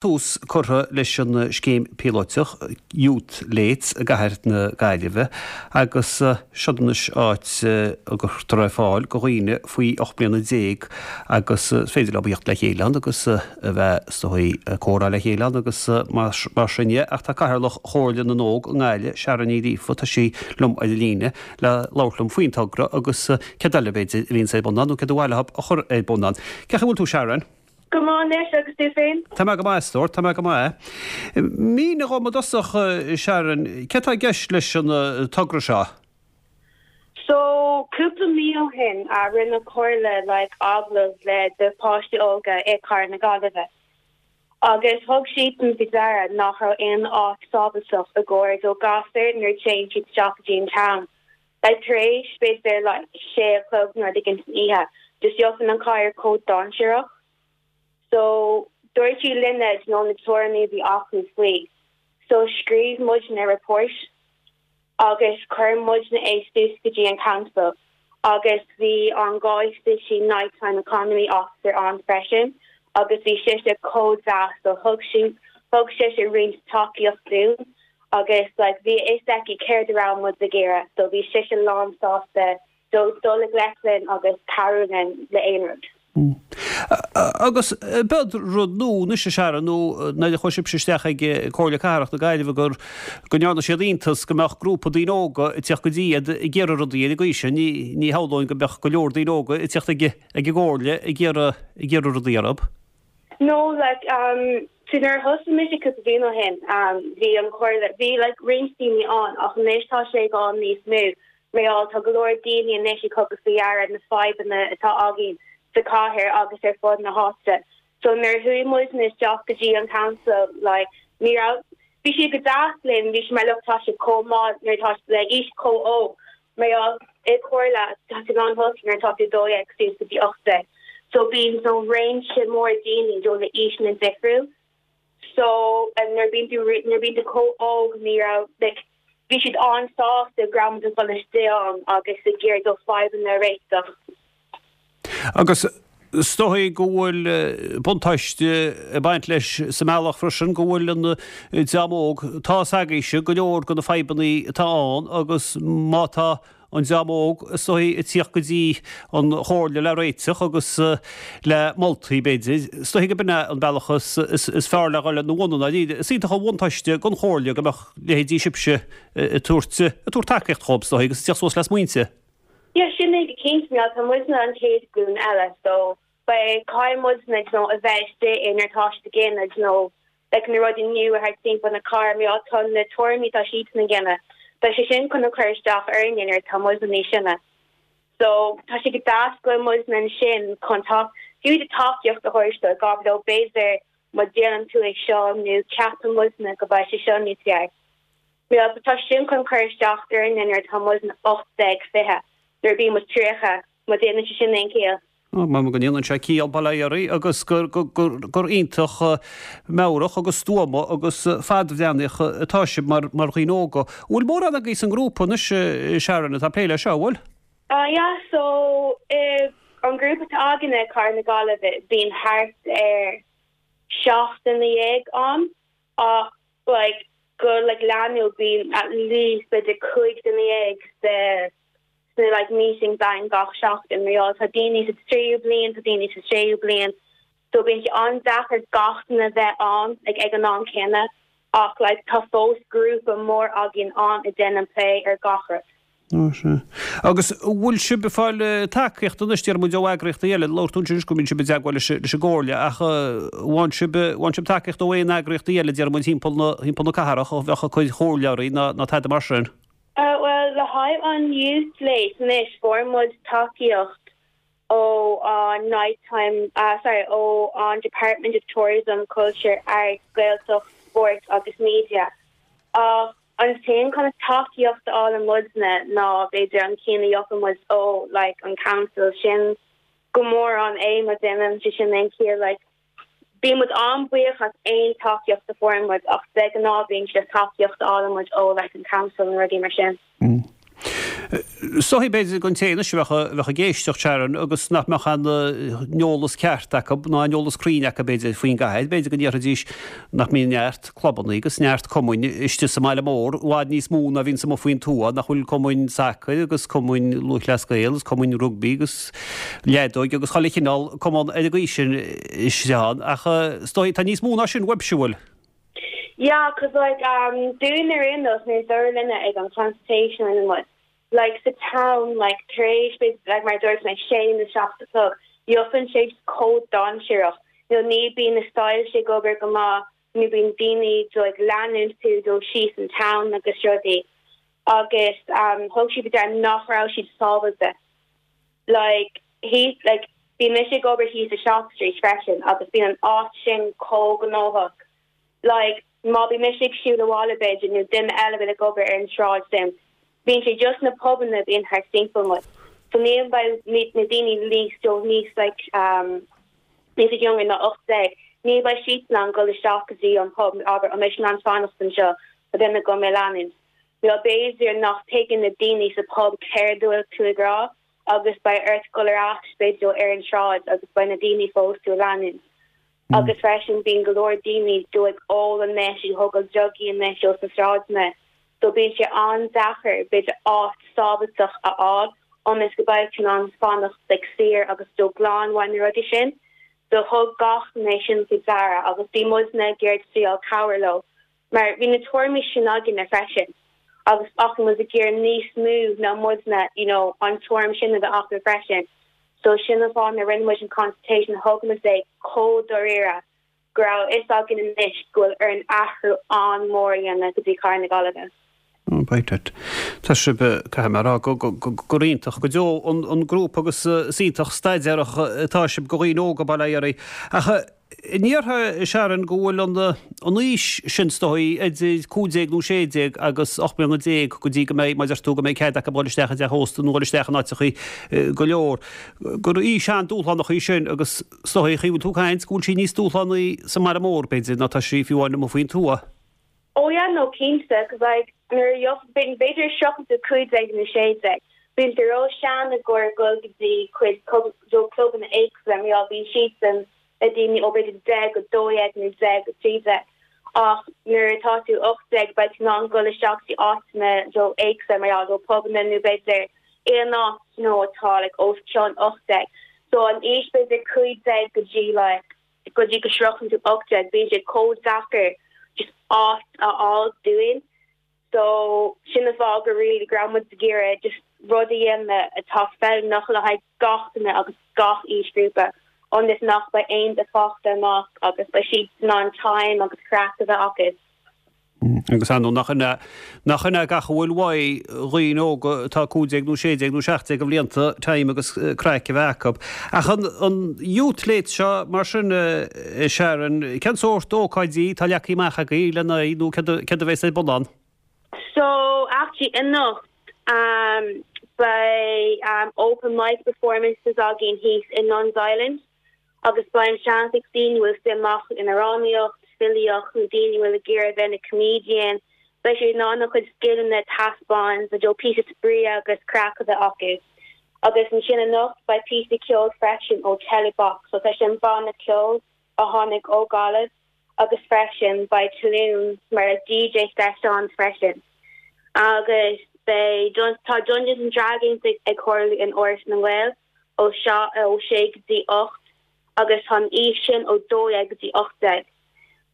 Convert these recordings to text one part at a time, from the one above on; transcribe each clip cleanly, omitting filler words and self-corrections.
Tús curtha leis an scéim píolóiteach Youth Lates i gcathair na Gaillimhe agus seod anois áit a gcuirtear ar fáil go dhaoine faoi 18 mbliana agus is féidir leo theacht le chéile ann agus a bheith is dóigh ag comhrá le chéile ann agus mar sin dhe. Ach tá Cathaoirleach Chomhairle na nÓg i nGaillimh, Sharon Ní Ghríofa, tá sí liom ar an líne le labhairt liom faoin togra agus céard eile b'fhéidir a bhíonns ar bun ann nó céard ba mhaith leo a chur ar bun ann. Cén chaoi a bhfuil tú Sharon? Go maith anois, agus tú féin? Tá mé go maith, a stór, tá mé go maith. Mínigh dhom i dtosach, Sharon, céard tá i gceist leis an togra seo? So, cúpla mí ó shin, rinne an Chomhairle like agallamh le do páistí óga i Cathair na Gaillimhe. Agus thug siadsan faoi deara nach raibh aon áit sábhailteach i gcomhair do gasúir nuair a téann siad isteach go dtí an town. Like tar éis b'fhéidir like sé a chlog nó rud éigin san oíche, just gheobhann an chathair chomh dainséarach. So dúirt siad linne you know na tuairimí a bhí acu faoi. So scríobh muidne report agus chuir muidne é suas go dtí an council agus bhí an Galway City Night Time Economy Officer ann freisin agus bhí sise chomh deas so thug sí thug sise roinnt tacaíocht dúinn agus like bhí a fhios aici céard a raibh muid ag iarraidh so bhí sise lán sásta dul i ngleic linn agus cabhrú linn le aon rud. Agus b'iod rud nua anois a Sharon nó nuair a chuaigh sibhse isteach ag Comhairle Cathrach na Gaillimhe gur go ndearna siad iontas go mbeadh grúpa daoine óga ag teacht go dtí iad ag iarraidh rudaí ar an gcaoi sin. Ní ní shamhlóinn go mbeadh go leor daoine óga ag teacht ag ag an gComhairle ag iarraidh ag iarraidh rudaí orthu. No like um so nuair a thosaigh mise cúpla bliain ó shin um bhí an chomhairle bhí like roinnt daoine ann ach anois tá sé ag dul níos mó mar gheall tá go leor daoine anois ag tugadh faoi deara na fadhbanna atá againn sa chathair agus ar fud na háite so nuair a chuaigh muidne isteach go dtí an council like ní raibh bhí siad go deas linn bhí siad mar look tá sibh chomh maith nuair atá le aois chomh óg Mar gheall i comhairle tá tú in ann tosú nuair atá tú 12 suas go dtí 18. So bíonn so réimse mór daoine do na aoiseanna difriúil. So nuair bíonn tú nuair bíonn tú chomh óg ní raibh like bhí siad an-sásta go raibh muid ag dul istigh ann agus ag iarraidh do fadhbanna a réiteach. Agus is dóigh go bhfuil buntáiste ag baint leis sa mbealach freisin go bhfuil an dream óg, tá fhios agaibhse go leor de na fadhbanna atá ann agus má tá an dream óg is dóigh ag tíocht go dtí an Chomhairle le réiteach agus le moltaí b'fhéidir, is dóigh go b'in é an bealach is fearr le dhul ina bhun i ndáiríre. Is iontach an bhuntáiste don Chomhairle go mbeadh leithéidí sibhse ag tabhairt tacaíocht dhóibh is dóigh agus ag tíocht suas le smaointe. Yeah, sin é go cinnte, mar tá muidne an chéad ghlúin eile so beidh caithfidh muidne you know a bheith istigh i nuair atá siad ag déanamh you know like na rudaí nua thart timpeall na cathrach mar gheall tá na tuairimí atá siadsan ag déanamh beidh sé sin chun a chur isteach orainne nuair atá muidne níos sine. So tá sé go deas go bhfuil muidne ansin chun ta fiú do tacaíocht a thabhairt dóibh gabh leo b'fhéidir má déanann tú é seo nó ceapann muidne go mbeidh sé seo níos fearr. Bhuel, tá sin chun cur isteach orainne nuair atá muidne 18, 20, nuair a bíonn muid 30, má déanann sé sin aon chiall. Ó, measaim go ndéanann sé ciall, bail ó Dhia oraibh, agus gur, gur, gur iontach meabhrach agus stuama agus fadbhreathnaíoch atá sibh mar, mar dhaoine óga. An bhfuil mórán agaibh san ngrúpa anois, Sharon, atá ag plé leis seo, an bhfuil? Ah yeah, so, an grúpa atá againne i Cathair na Gaillimhe, bíonn thart ar 17 duine ann ach like go like leanúil bíonn at least b'fhéidir 15 duine sa sna like meetings againn gach seachtain mar gheall tá daoine sa tríú bliain tá daoine sa séú bliain so bíonn sé an-deacair gach duine a bheith ann like ag an am céanna ach like tá fós grúpa mór againn ann a déanann plé ar gach rud. Ó, sea. Agus an bhfuil sibh ag fáil tacaíocht anois, déarfaidh muid, ó eagraíochtaí eile? Labhair tú ansin anois go mbíonn sibh i dteagmháil leis an gComhairle, ach bhfaigheann sibh, bhfaigheann sibh tacaíocht ó aon eagraíochtaí eile, déarfaidh muid, thimpeall na, thimpeall na cathrach, a bheadh ag cur comhairle oraibh ná, ná tada mar sin? Bhuel, le haghaidh an Youth Lates anois, fuair muid tacaíocht ó an Night Time, sorry, ó an Department of Tourism, Culture, Arts, Gaeltacht, Sport agus Media. Ach an t-aon kind of tacaíocht a fhálann muidne ná b'fhéidir an ceann a gheobhann muid ó like an council sin go mórán é má déanann sé sin aon chiall like bíonn muid an-bhuíoch as aon tacaíocht a fuaireann muid ach de ghnáth bíonn sé tacaíocht a fhálann muid ó like an council nó rudaí mar sin. Is dóichí b'fhéidir don té anois a bheadh ag éisteacht, Sharon, agus nach mbeadh an eolas ceart acu ná an eolas cruinn acu b'fhéidir faoin gcathair, b'fhéidir go ndéarfaidís nach mbíonn neart clubanna agus neart cumainn istigh sa mbaile mór, i bhfad níos mó ná a bhíonns amuigh faoin tuath, nach bhfuil cumainn sacair agus cumainn lúthchleas Gael agus cumainn rugbaí agus leadóige agus chuile chineál cumann ar an gcaoi sin istigh ann ach is dóichí tá níos mó ná sin uaibhse, an bhfuil? Yeah, cos like um dúinn ar aon nós nuair dar linne ag an consultation rinne muid like sa town like tar éis b'fhéidir like mar a dúirt mé sé nó 7 a chlog gheobhann sé chomh dainséarach nó ní bíonn na soilse ag obair go maith nó bíonn daoine do ag leanúint tú dul síos an town agus rudaí agus um thug siad faoi deara nach raibh siad sábháilte like thíos like bíonn mise ag obair thíos i Shop Street freisin agus bíonn an áit sin chomh gnóthach like má bíonn mise ag siúl abhaile b'fhéidir nó duine eile bhfuil ag obair ar an sráid sin bíonn sé just na pubanna bíonn thart timpeall muid so ní beidh na daoine níos so níos like um níos younger ná 18 ní beidh siad in ann dul isteach go dtí an pub abair an mbeidh in ann fanacht anseo tá duine agam ag leanúint nó b'fhéidir nach tuigeann na daoine sa pub céard a bhfuil tú ag rá agus beidh ort dul ar ais b'fhéidir ar an sráid agus beidh na daoine fós tú ag leanúint. Agus freisin bíonn go leor daoine do ag ól anois ag thógáil drugaí anois ó sna sráideanna so bíonn sé an-deacair b'fhéidir áit sábháilteach a fháil ionas go beidh tú in ann fanacht like saor agus do glan uaidh na rudaí sin. So thug gach duine sin faoi deara agus bhí muidne ag iarraidh triail cabhair leo Mar bhí na tuairimí sin againne freisin agus ach bhí muid ag iarraidh níos mó ná muidne you know an tuairim sin a bheith acu freisin. So sin an fáth a rinne muid an consultation thug muid é chomh dáiríre go raibh a fhios againn anois go bhfuil orainn athrú an-mhór a dhéanamh go dtí Cathair na Gaillimhe. Right. Tá sibh, caithfidh mé a rá, gur iontach go deo an grúpa agus is iontach staidéarach atá sibh do dhaoine óga, bail ó Dhia oraibh. Ach an ndéarfá, Sharon, go bhfuil an aois sin, is dóigh, idir 15 nó 16 agus 18 mbliana go dtí go mbeidh, mar a deir tú, go mbeidh cead acu dul isteach i dteach ósta nó dul isteach in áiteachaí go leor, gur aois an-dúshlánach í sin agus is dóigh, an chaoi a bhfuil tú ag caint, go bhfuil sí níos dúshlánaí sa mbaile mór, b'fhéidir, ná tá sí fiú amháin amuigh faoin tuath. Oh yeah no cinnte cos like nuair a gheobh b'fhéidir sroicheann tú 15 nó 16 bíonn tú ró sean i gcomhair dul go dtí cuid do clubanna éagsúla mar gheall bíonn siadsan le daoine ó b'fhéidir 10 go 12 nó 10 go 13 ach nuair atá tú 18 beidh tú in ann dul isteach dtí áiteanna do éagsúla mar gheall do pubanna nó b'fhéidir aon áit nó atá like os cionn 18 so an aois b'fhéidir 15 go dtí like go dtí go sroicheann tú 18, bíonn sé chomh deacair just áit a fháil dúinn. So sin an fáth go really go raibh muid ag iarraidh just rud a dhéanamh atá feiliúnach le haghaidh gach duine agus gach aoisghrúpa ionas nach beidh aon duine fágtha amach agus beidh siad in ann time agus craic a bheith acu. Agus ar ndóigh, nach in é, nach in é gach a bhfuil uaidh dhaoine óga atá 15 nó 16 nó 17 de bhlianta time agus craic a bheith acu. Ach an, an Youth Late seo, mar sin, a Sharon, cén sórt ócáidí atá leagtha amach agaibh lena aghaidh nó céard, céard a bheas ar bun ann? So, actually, anocht, um, beidh um, open mic performances againn thíos i Nuns Island. agus beidh an seans ag daoine a bhfuil suim acu in amhránaíocht, filíocht nó daoine a bhfuil ag iarraidh a bheith ina comedian, beidh siad in ann a gcuid scileanna a taispeáint, you know píosa spraoi agus craic a bheith acu. Agus ansin anocht beidh píosa ceoil freisin ó Telebox, so tá sin banna ceoil a tháinig ó Gaillimh agus freisin beidh Tulún mar DJ sessions freisin. Agus beidh tá Dungeons and Dragons ag tarlú in Áras na nGael. ó ó sé go dtí 8 agus tá an aois sin ó 12 go dtí 18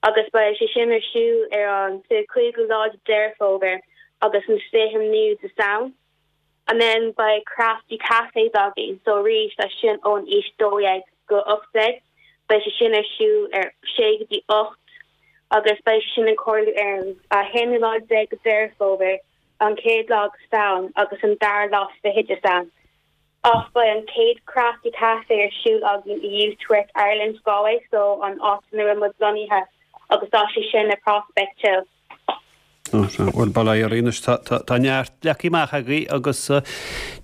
agus beidh sé sin ar siúl ar an 25ú lá de Deireadh Fómhair agus an 29ú de Samhain. And then beidh Crafty Cafés againn so arís tá sin ón aois 12 go 18 beidh sé sin ar siúl ar sé go dtí 8 agus beidh sé sin ag tarlú ar an 11ú lá de Deireadh Fómhair, an chéad lá de Samhain agus an dara lá fichead de Samhain. Ach beidh an chéad Crafty Café ar siúl againn i Youth Work Ireland Galway, so an áit ina bhfuil muid lonnaithe, agus tá sé sin i Prospect Hill. Bhuel, bail ó Dhia oraibh anois, tá neart leagtha amach agaibh agus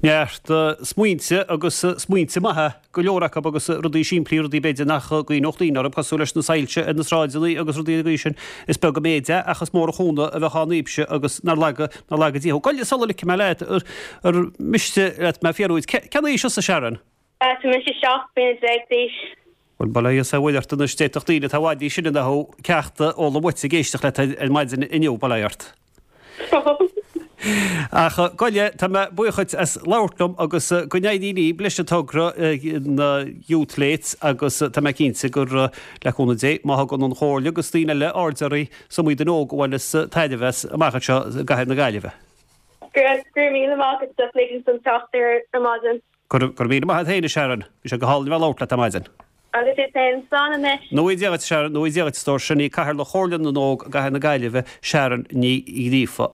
neart smaointe agus smaointe maithe go leor acu agus rudaí simplí, rudaí b'fhéidir nach gcuimhneodh daoine orthu, cosúil leis na soilse ar na sráideanna agus rudaí den gcaoi sin. Is beag an méid é ach is mór an chúnamh a bheadh ann daoibhse agus nár laga, nár laga Dia thú. Gabh i leith sula ligfidh mé leat, ar mhiste leat mé a fhiafraí dhuit, cén aois thusa, Sharon? Tá mise 17 bliana d'aois. Bhuel, bail ó Dhia is ar Mhuire ort anois, d'fhéadfadh daoine atá i bhfad níos sine ná thú ceacht a fhoghlaim uait ag éisteacht leat ar maidin inniu, bail ó Dhia ort. Ach gabh i leith, tá mé buíoch dhuit as labhairt liom agus go n-éirí libh leis an togra, na Youth Lates agus tá mé cinnte gur, le cúnamh Dé, má thugann an Chomhairle agus daoine eile aird oraibh, is iomaí duine óg a bhaineas tairbhe as amach anseo i gcathair na Gaillimhe. Go raibh míle maith agat as ligint dom teacht ar maidin. Go raibh míle maith agat féin, a Sharon. Bhí sé go hálainn a bheith ag labhairt leat ar maidin. Agus duit féin. Slán anois. Go ngnóthaí Dia dhuit, a Sharon. Go ngnóthaí Dia dhuit, a stór. Sin í Cathaoirleach Chomhairle na nÓg i gCathair na Gaillimhe, Sharon Ní Ghríofa.